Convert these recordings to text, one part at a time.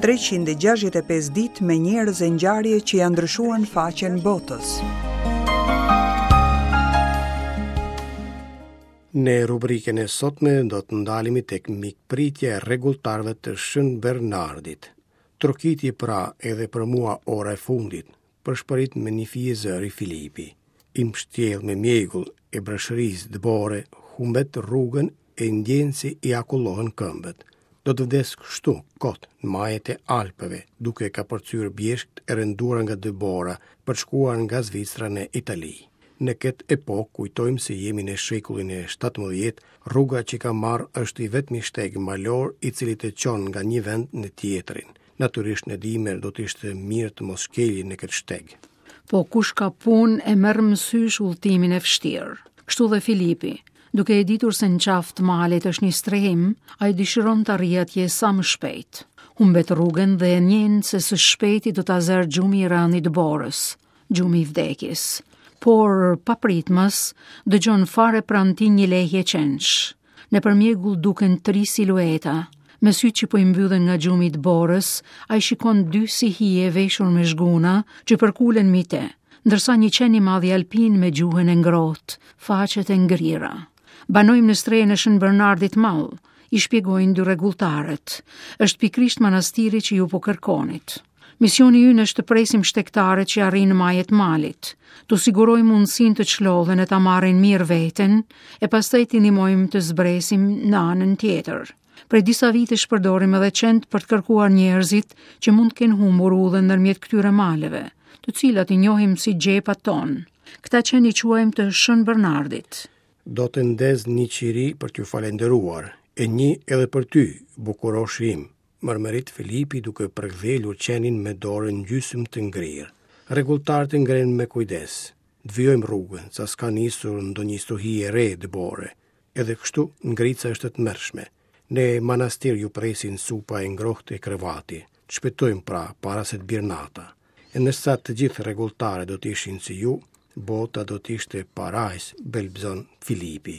365 ditë me njerëz e ngjarje që ia ndryshuan faqen botës. Në rubrikën e sotme do të ndalemi tek mikpritja e rregulltarëve të Shën Bernardit. Trokiti pra edhe për mua ora e fundit, pëshpërit me një fije zëri Filipi. I mbështjellë me mjegull e breshëri dëbore, humbet rrugën e ndjen se i akullohen këmbët. Do të vdes kështu, kot, në majet e Alpeve, duke kapërcyer bjeshkët e rënduara nga dëbora, për të shkuar nga Zvicra në Itali. Në këtë epokë, kujtojmë se jemi në shekullin e 17, rruga që ka marrë është i vetmi shteg malor i cili të çon nga një vend në tjetrin. Natyrisht në dimër do të ishte mirë të mos shkelje në këtë shteg. Po kush ka punë e merr mësysh udhëtimin e vështirë. Kështu dhe Filipi, duke e ditur se në qafë të malit është një strehim, ai dëshiron të arrijë atje sa më shpejt. Humbet rrugën dhe e ndjen se së shpejti do ta zërë gjumi i rëndë i dëborës. gjumi i vdekjes. Por, papritmas, dëgjon fare pranë tij një lehje qensh. Nëpër mjegull duken tri silueta. Me sytë që po i mbyllen nga gjumi i dëborës, ai shikon dy si hije veshur me zhguna që përkulen mbi të, ndërsa një qen i madh alpin me gjuhën e ngrohtë, faqet e ngrira. Banojmë në strehën e Shën Bernardit të Madh, i shpjegojnë dy rregulltarët. Është pikërisht manastiri që ju po kërkonit. Misioni ynë është të presim shtegtarët që arrijnë në maje të malit, t'u sigurojmë mundësinë të çlodhen e ta marrin mirë veten, e pastaj t'i ndihmojmë të zbresin në anën tjetër. Prej disa vitesh përdorim edhe qentë për të kërkuar njerëzit që mund të kenë humbur udhën ndërmjet këtyre maleve, të cilat i njohim si xhepat tanë. Këta qen i quajmë të Shën Bernardit. Do të ndez një qiri për t'ju falënderuar, e një edhe për ty, bukuroshi im, mërmërit Filipi duke përkëdhelur qenin me dorën gjysmë të ngrirë. Rregulltarët e ngrenë me kujdes. Të vijojmë rrugën, sa s'ka nisur ndonjë stuhi e re dëbore. Edhe kështu, ngrica është e tmerrshme. Në manastir ju presin supa e ngrohtë e krevati. Të shpejtojmë pra, para se të bjerë nata. E nëse të gjithë rregulltarët do të ishin si ju, bota do të ishte parajsë, belbëzon Filipi.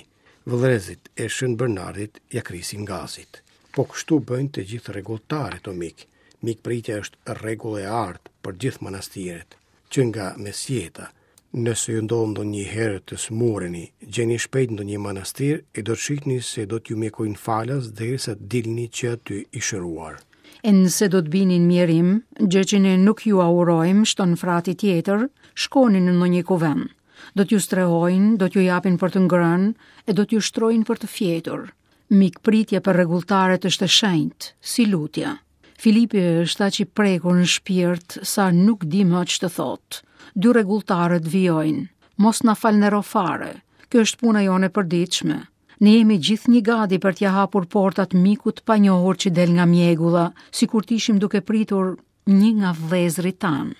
Vëllezërit e Shën Bernardit ia krisin gazit. Po kështu bëjnë të gjithë rregulltarët, o mik. Mikpritja është rregull e artë për gjithë manastiret, që nga mesjeta. Nëse ju ndodh ndonjëherë të sëmureni, gjeni shpejt ndonjë manastir e do të shihni se do t'ju mjekojnë falas derisa të dilni që aty i shëruar. E nëse do të bini në mjerim, gjë që ne nuk jua urojmë, shton frati tjetër, shkoni në ndonjë kuvend. Do t'ju strehojnë, do t'ju japin për të ngrënë e do t'ju shtrojnë për të fjetur. Mikpritja për rregulltarët është e shenjtë, si lutja. Filipi është aq i prekur në shpirt sa nuk di më ç'të thotë. Dy rregulltarët vijojnë. Mos na falëndero fare. Kjo është puna jonë e përditshme. Ne jemi gjithnjë gati për t'ia hapur portat mikut të panjohur që del nga mjegulla, sikur të ishim duke pritur një nga vëllezërit tanë.